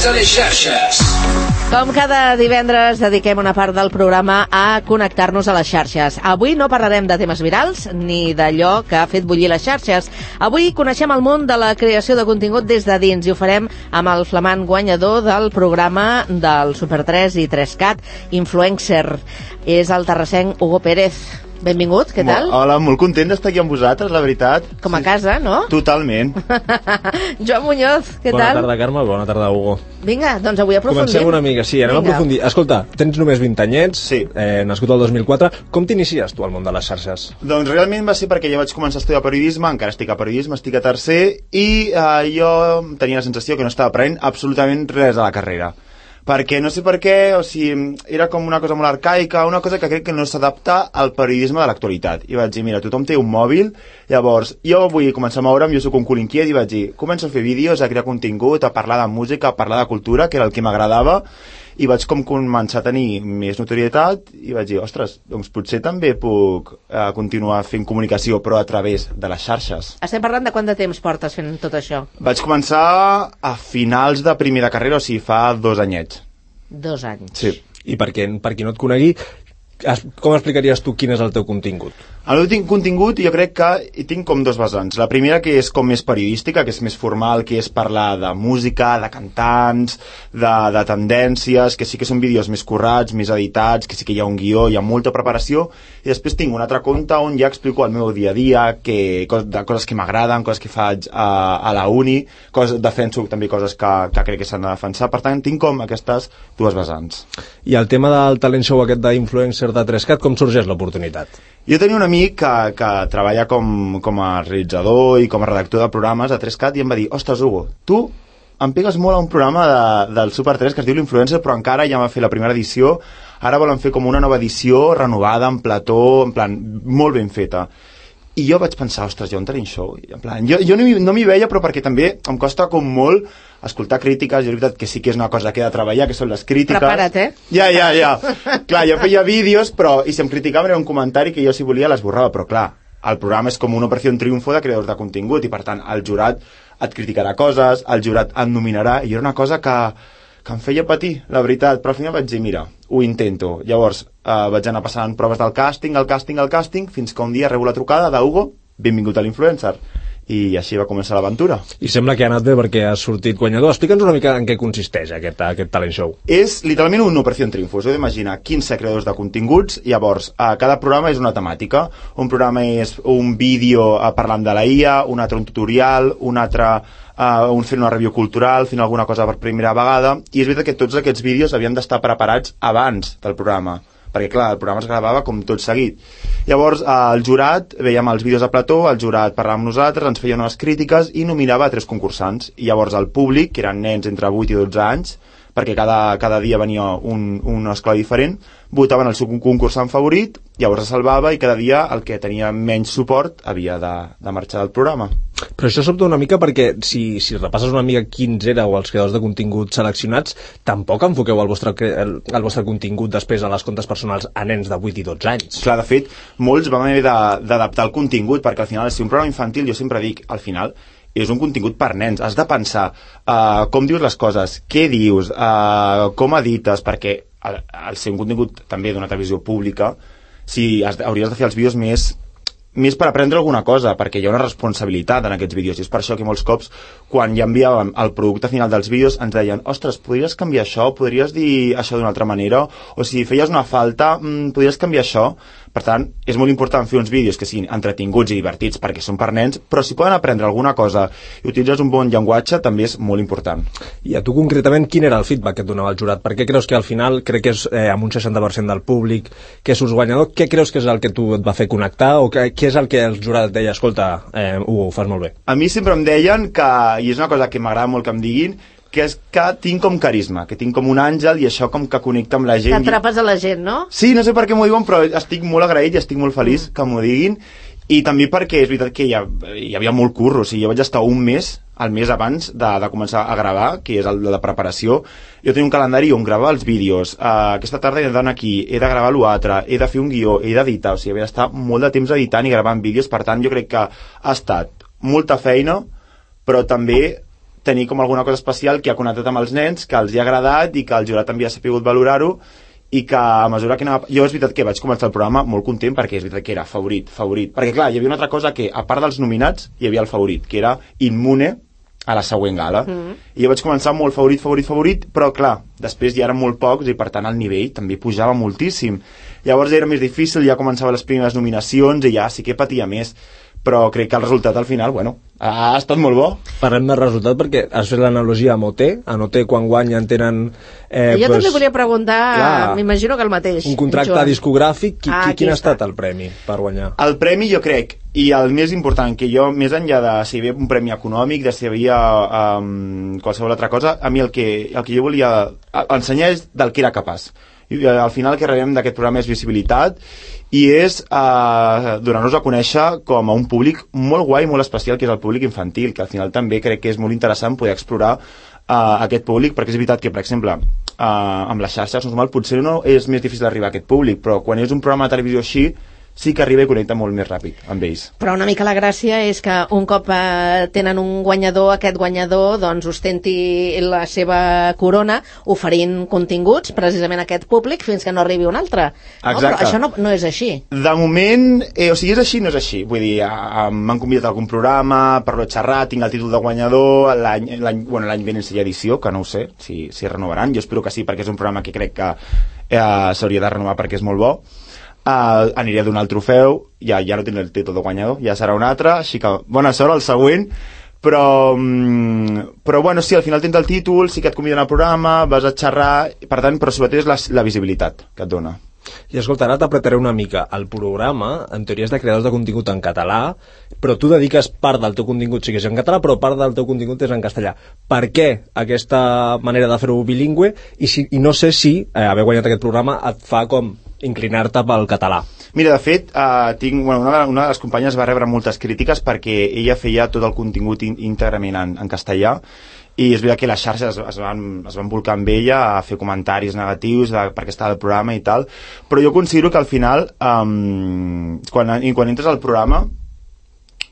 Connectats a les xarxes. Com cada divendres dediquem una part del programa a connectar-nos a les xarxes. Avui no parlarem de temes virals ni d'allò que ha fet bullir les xarxes. Avui coneixem el món de la creació de contingut des de dins i ho farem amb el flamant guanyador del programa del Super 3 i 3CAT, Influencer. És el terrassenc Hugo Pérez. Benvingut, què tal? Hola, molt content d'estar aquí amb vosaltres, la veritat. Com a casa, no? Totalment. Joan Muñoz, què tal? Bona tarda, Carme, bona tarda, Hugo. Vinga, doncs avui aprofundim. Comencem una mica, sí, anem a aprofundir. Escolta, tens només 20 anyets, sí. Nascut el 2004. Com t'inicies tu al món de les xarxes? Doncs realment va ser perquè ja vaig començar a estudiar periodisme, encara estic a periodisme, estic a tercer, i jo tenia la sensació que no estava aprenent absolutament res a la carrera. Perquè no sé per què, o sigui, era com una cosa molt arcaica, una cosa que crec que no s'adapta al periodisme de l'actualitat. I vaig dir, mira, tothom té un mòbil, llavors jo vull començar a moure'm, jo soc un cul inquiet, i vaig dir, començo a fer vídeos, a crear contingut, a parlar de música, a parlar de cultura, que era el que m'agradava, i vaig com començar a tenir més notorietat, i vaig dir, ostres, doncs potser també puc continuar fent comunicació, però a través de les xarxes. Estem parlant de quant de temps portes fent tot això? Vaig començar a finals de primer de carrera, o sigui, fa 2 anyets. 2 anys. Sí. I per qui no et conegui, com explicaries tu quin és el teu contingut? El meu contingut jo crec que hi tinc com 2 vessants. La primera, que és com més periodística, que és més formal, que és parlar de música, de cantants, de tendències, que sí que són vídeos més currats, més editats, que sí que hi ha un guió, hi ha molta preparació, i després tinc un altre compte on ja explico el meu dia a dia, de coses que m'agraden, coses que faig a la uni, defenso també coses que crec que s'han de defensar. Per tant, tinc com aquestes 2 vessants. I el tema del talent show aquest d'influencer de 3CAT, com sorgeix l'oportunitat? Jo tenia un amic que treballa com a realitzador i com a redactor de programes a 3CAT i em va dir, ostres, Hugo, tu em pegues molt a un programa del Super 3 que es diu l'Influencer, però encara ja va fer la primera edició, ara volen fer com una nova edició renovada, en plató, en plan, molt ben feta. I jo vaig pensar, ostres, hi ha un talent show. En plan, jo no m'hi veia, però perquè també em costa com molt escoltar crítiques. Jo, és veritat que sí que és una cosa que he de treballar, que són les crítiques. Prepara't, Ja. Clar, jo feia vídeos, però i si em criticaven era un comentari que jo, si volia, l'esborrava. Però clar, el programa és com una operació triomfo de creadors de contingut i, per tant, el jurat et criticarà coses, el jurat et nominarà, i era una cosa que em feia patir, la veritat, però al final vaig dir, mira, ho intento. Llavors vaig anar passant proves del càsting, fins que un dia rebo la trucada d'Hugo, benvingut a l'Influencer, i així va començar l'aventura. I sembla que ha anat bé perquè has sortit guanyador. Explica'ns una mica en què consisteix aquest talent show. És literalment una operació en triomfo. Us heu d'imaginar 15 creadors de continguts, llavors cada programa és una temàtica. Un programa és un vídeo parlant de la IA, un altre un tutorial, un altre fent una review cultural, fent alguna cosa per primera vegada, i és veritat que tots aquests vídeos havien d'estar preparats abans del programa, perquè clar, el programa es gravava com tot seguit. Llavors el jurat, veiem els vídeos a plató, el jurat parlava amb nosaltres, ens feia unes crítiques i nominava a 3 concursants, i llavors el públic, que eren nens entre 8 i 12 anys, perquè cada dia venia un escola diferent, votaven el seu concursant favorit, llavors es salvava i cada dia el que tenia menys suport havia de marxar del programa. Però això sobta una mica perquè si repasses una mica quins éreu els creadors de contingut seleccionats, tampoc enfoqueu el vostre contingut després a les comptes personals a nens de 8 i 12 anys. Clar, de fet, molts vam haver d'adaptar el contingut, perquè al final, si un programa infantil, jo sempre dic, al final, és un contingut per nens, has de pensar com dius les coses, què dius, com edites, perquè al ser un contingut també d'una televisió pública, hauries de fer els vídeos més per aprendre alguna cosa, perquè hi ha una responsabilitat en aquests vídeos, i és per això que molts cops, quan ja enviàvem el producte final dels vídeos, ens deien, ostres, podries canviar això, podries dir això d'una altra manera, o si feies una falta, podries canviar això. Per tant, és molt important fer uns vídeos que siguin entretinguts i divertits perquè són per nens, però si poden aprendre alguna cosa i utilitzes un bon llenguatge, també és molt important. I a tu concretament, quin era el feedback que et donava el jurat? Per què creus que al final, crec que és amb un 60% del públic que surts guanyador, què creus que és el que tu et va fer connectar, o què és el que el jurat et deia, escolta, Hugo, ho fas molt bé? A mi sempre em deien que, i és una cosa que m'agrada molt que em diguin, que és que tinc com carisma, que tinc com un àngel i això com que connecta amb la gent. T'atrapes a la gent, no? Sí, no sé per què m'ho diuen, però estic molt agraït i estic molt feliç que m'ho diguin, i també perquè és veritat que hi havia molt curro, o sigui, jo vaig estar un mes, el mes abans de començar a gravar, que és el de preparació. Jo tenia un calendari on gravava els vídeos, aquesta tarda he d'anar aquí, he de gravar l'altre, he de fer un guió, he d'editar, o sigui, havia d'estar molt de temps editant i gravant vídeos, per tant jo crec que ha estat molta feina, però també tenir com alguna cosa especial que ha connectat amb els nens, que els hi ha agradat i que el jurat també ha sapigut valorar-ho, i que a mesura que anava... Jo és veritat que vaig començar el programa molt content perquè és veritat que era favorit. Perquè clar, hi havia una altra cosa que, a part dels nominats, hi havia el favorit, que era immune a la següent gala. I jo vaig començar molt favorit, però clar, després ja eren molt pocs i per tant el nivell també pujava moltíssim. Llavors era més difícil, ja començava les primeres nominacions i ja sí que patia més. Però crec que el resultat al final, bueno, ha estat molt bo. Parlem del resultat perquè has fet l'analogia amb OT. En OT quan guanyen tenen... jo també volia preguntar, m'imagino que el mateix. Un contracte discogràfic, quin ha estat el premi per guanyar? El premi jo crec, i el més important, que jo, més enllà de si hi havia un premi econòmic, de si hi havia qualsevol altra cosa, a mi el que jo volia ensenyar és del que era capaç. I al final el que rebem d'aquest programa és visibilitat i és donar-nos a conèixer com a un públic molt guai, molt especial, que és el públic infantil, que al final també crec que és molt interessant poder explorar aquest públic, perquè és veritat que, per exemple, amb les xarxes normal potser no és més difícil arribar a aquest públic, però quan és un programa de televisió així sí que arriba i connecta molt més ràpid amb ells. Però una mica la gràcia és que un cop tenen un guanyador, aquest guanyador doncs ostenti la seva corona oferint continguts precisament a aquest públic fins que no arribi un altre. No? Però això no és així. De moment, o sigui, és així, no és així. Vull dir, m'han convidat a algun programa, parlo de xerrar, tinc el títol de guanyador, l'any vinent seria edició, que no ho sé si renovaran. Jo espero que sí, perquè és un programa que crec que s'hauria de renovar perquè és molt bo. Aniré a donar el trofeu, ja no tindré el títol de guanyador, ja serà un altre, així que bona sort al següent, però bueno, sí, al final tens el títol, sí que et conviden al programa, vas a xerrar, per tant, però sobretot és la visibilitat que et dona. I escolta, ara t'apretaré una mica. El programa, en teoria, és de creadors de contingut en català, però tu dediques part del teu contingut, sí que és en català, però part del teu contingut és en castellà. Per què aquesta manera de fer-ho bilingüe? I no sé si haver guanyat aquest programa et fa com inclinar-te pel català. Mira, de fet, una de les companyes va rebre moltes crítiques perquè ella feia tot el contingut íntegrament en castellà, i és veritat que les xarxes es van volcar amb ella a fer comentaris negatius perquè estava al programa i tal, però jo considero que al final quan entres al programa,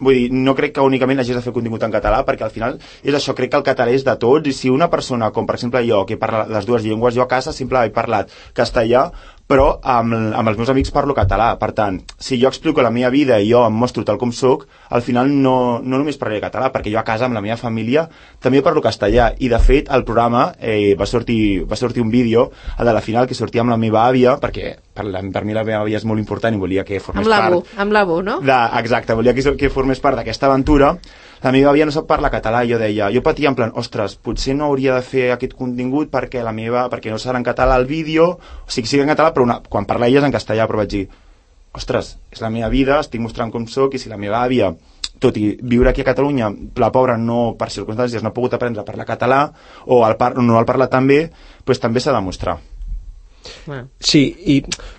vull dir, no crec que únicament hagis de fer contingut en català, perquè al final és això, crec que el català és de tots, i si una persona, com per exemple jo, que parla les dues llengües, jo a casa sempre he parlat castellà, però amb els meus amics parlo català. Per tant, si jo explico la meva vida i jo em mostro tal com soc, al final no només parlaré català, perquè jo a casa amb la meva família també parlo castellà, i de fet el programa va sortir un vídeo, el de la final, que sortia amb la meva àvia, perquè per mi la meva àvia és molt important i volia que formés part... Amb l'Abu, no? Exacte, volia que formés part d'aquesta aventura. La meva àvia no sap parlar català, i jo patia en plan, ostres, potser no hauria de fer aquest contingut perquè no serà en català el vídeo, o sigui, sí en català, però quan parla ella és en castellà, però vaig dir, ostres, és la meva vida, estic mostrant com soc, i si la meva àvia, tot i viure aquí a Catalunya, la pobra no, per circumstàncies, no ha pogut aprendre a parlar català, o no el parla tan bé, doncs també s'ha de mostrar. Sí, i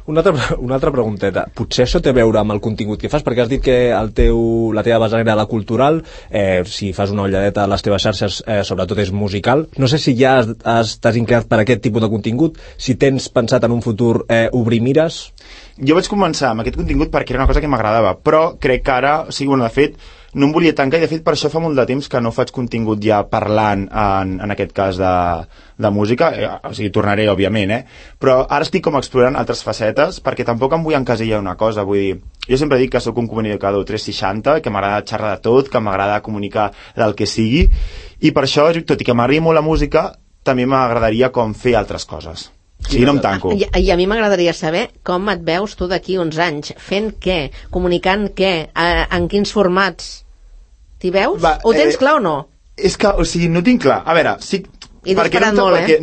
una altra pregunteta. Potser això té a veure amb el contingut que fas, perquè has dit que la teva vessant era la cultural, si fas una ulladeta a les teves xarxes, sobretot és musical. No sé si ja t'has inclinat per aquest tipus de contingut, si tens pensat en un futur obrir mires. Jo vaig començar amb aquest contingut perquè era una cosa que m'agradava, però crec que ara, o sigui, de fet, no em volia tancar, i de fet per això fa molt de temps que no faig contingut ja parlant en aquest cas de música, o sigui, tornaré òbviament, però ara estic com explorant altres facetes, perquè tampoc em vull encasillar una cosa, vull dir, jo sempre dic que sóc un comunicador 360, que m'agrada xerrar de tot, que m'agrada comunicar del que sigui, i per això, tot i que m'agrada molt la música, també m'agradaria com fer altres coses. Sí, no em tanco. I a mi m'agradaria saber com et veus tu d'aquí uns anys, fent què, comunicant què, en quins formats t'hi veus? Ho tens clar o no? És que, o sigui, no tinc clar. A veure, sí... I disparant molt,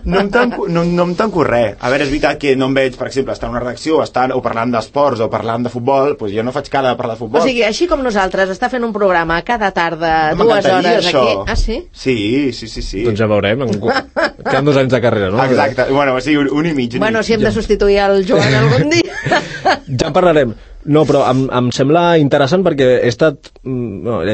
no em tanco res. A veure, és veritat que no em veig, per exemple, estar en una redacció o parlant d'esports o parlant de futbol, doncs jo no faig cara de parlar de futbol. O sigui, així com nosaltres, està fent un programa cada tarda, 2 hores això. Aquí. Ah, sí? Sí. Doncs ja veurem. Queden 2 anys de carrera, no? Exacte. Bueno, sí, un i mig. Bueno, si hem de substituir el Joan algun dia. Ja en parlarem. No, però em sembla interessant perquè he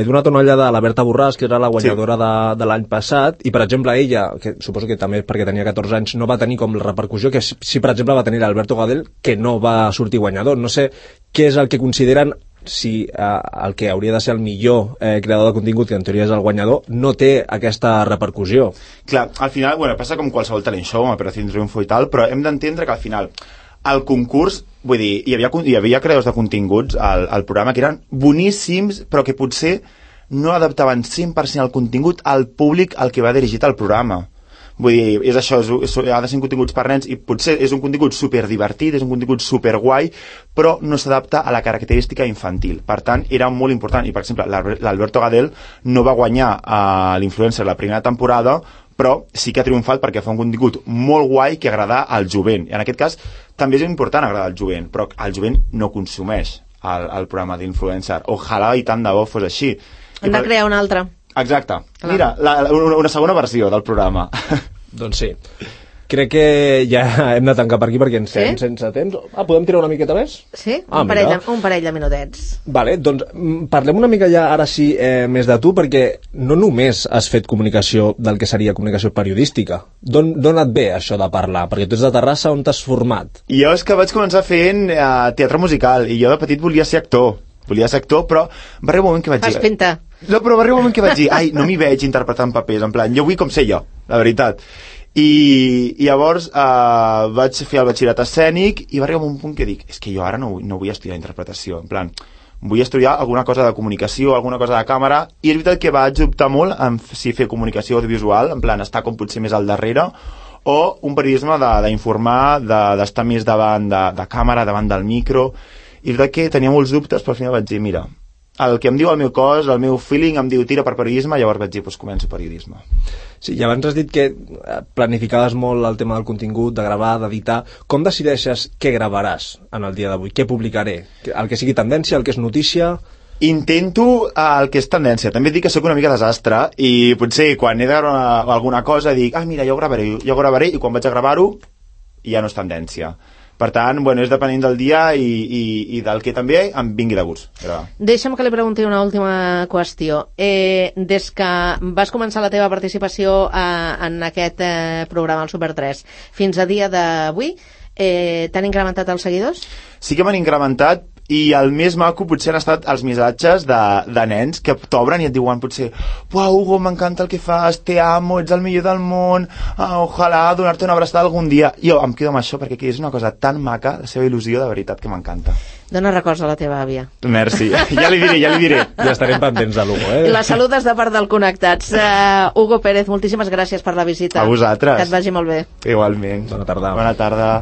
donat una ullada a la Berta Borràs, que era la guanyadora de l'any passat, i per exemple ella, que suposo que també perquè tenia 14 anys, no va tenir com la repercussió que si per exemple va tenir l'Alberto Gadel, que no va sortir guanyador. No sé què és el que consideren, si el que hauria de ser el millor creador de contingut, que en teoria és el guanyador, no té aquesta repercussió. Clar, al final, passa com qualsevol talent show, amb Operació Triunfo i tal, però hem d'entendre que al final el concurs, vull dir, hi havia creadors de continguts al programa que eren boníssims, però que potser no adaptaven 100% el contingut al públic al que va dirigit el programa. Vull dir, és això, ha de ser continguts per nens i potser és un contingut superdivertit, és un contingut superguai, però no s'adapta a la característica infantil. Per tant, era molt important. I, per exemple, l'Alberto Gadel no va guanyar a l'Influencer la primera temporada, però sí que ha triomfat perquè fa un contingut molt guai que agrada al jovent. I en aquest cas també és important agradar al jovent, però el jovent no consumeix el programa d'Influencer. Ojalà i tant de bo fos així. Hem de crear una altra. Exacte. Mira, una segona versió del programa. Doncs sí. Crec que ja hem de tancar per aquí perquè ens quedem sense temps. Podem tirar una miqueta més? Sí, un parell de minutets. Vale, doncs parlem una mica ja ara sí més de tu, perquè no només has fet comunicació del que seria comunicació periodística. D'on et ve això de parlar? Perquè tu ets de Terrassa, on t'has format? Jo és que vaig començar fent teatre musical i jo de petit volia ser actor, però va arribar un moment que vaig dir... Fas pinta. No, però va arribar un moment que vaig dir, no m'hi veig interpretant papers, en plan, jo vull com ser jo, la veritat. I llavors vaig fer el batxillerat escènic i va arribar un punt que dic, és que jo ara no vull estudiar interpretació, en plan, vull estudiar alguna cosa de comunicació, alguna cosa de càmera, i és veritat que vaig optar molt en si fer comunicació audiovisual, en plan, estar com potser més al darrere, o un periodisme d'informar, d'estar més davant de càmera, davant del micro. I és veritat que tenia molts dubtes, però al final vaig dir, mira, el que em diu el meu cos, el meu feeling em diu tira per periodisme, llavors vaig dir, doncs començo periodisme. Sí, i abans has dit que planificaves molt el tema del contingut, de gravar, d'editar. Com decideixes què gravaràs en el dia d'avui? Què publicaré? El que sigui tendència, el que és notícia? Intento el que és tendència. També dic que sóc una mica desastre i potser quan he de gravar alguna cosa dic, mira, jo ho gravaré, i quan vaig a gravar-ho ja no és tendència. Per tant, és depenent del dia i del que també em vingui de gust. Deixa'm que li pregunti una última qüestió. Des que vas començar la teva participació en aquest programa, el Super 3, fins a dia d'avui, t'han incrementat els seguidors? Sí que m'han incrementat, i el més maco potser han estat els missatges de nens que t'obren i et diuen potser, uau, Hugo, m'encanta el que fas, te amo, ets el millor del món, ojalà donar-te una abraçada algun dia. Jo em quedo amb això perquè és una cosa tan maca, la seva il·lusió, de veritat que m'encanta. Dona records a la teva àvia. Merci, ja li diré. Ja estarem pendents de l'Hugo, La saludes de part del Connectats. Hugo Pérez, moltíssimes gràcies per la visita. A vosaltres. Que et vagi molt bé. Igualment. Bona tarda. Bona tarda.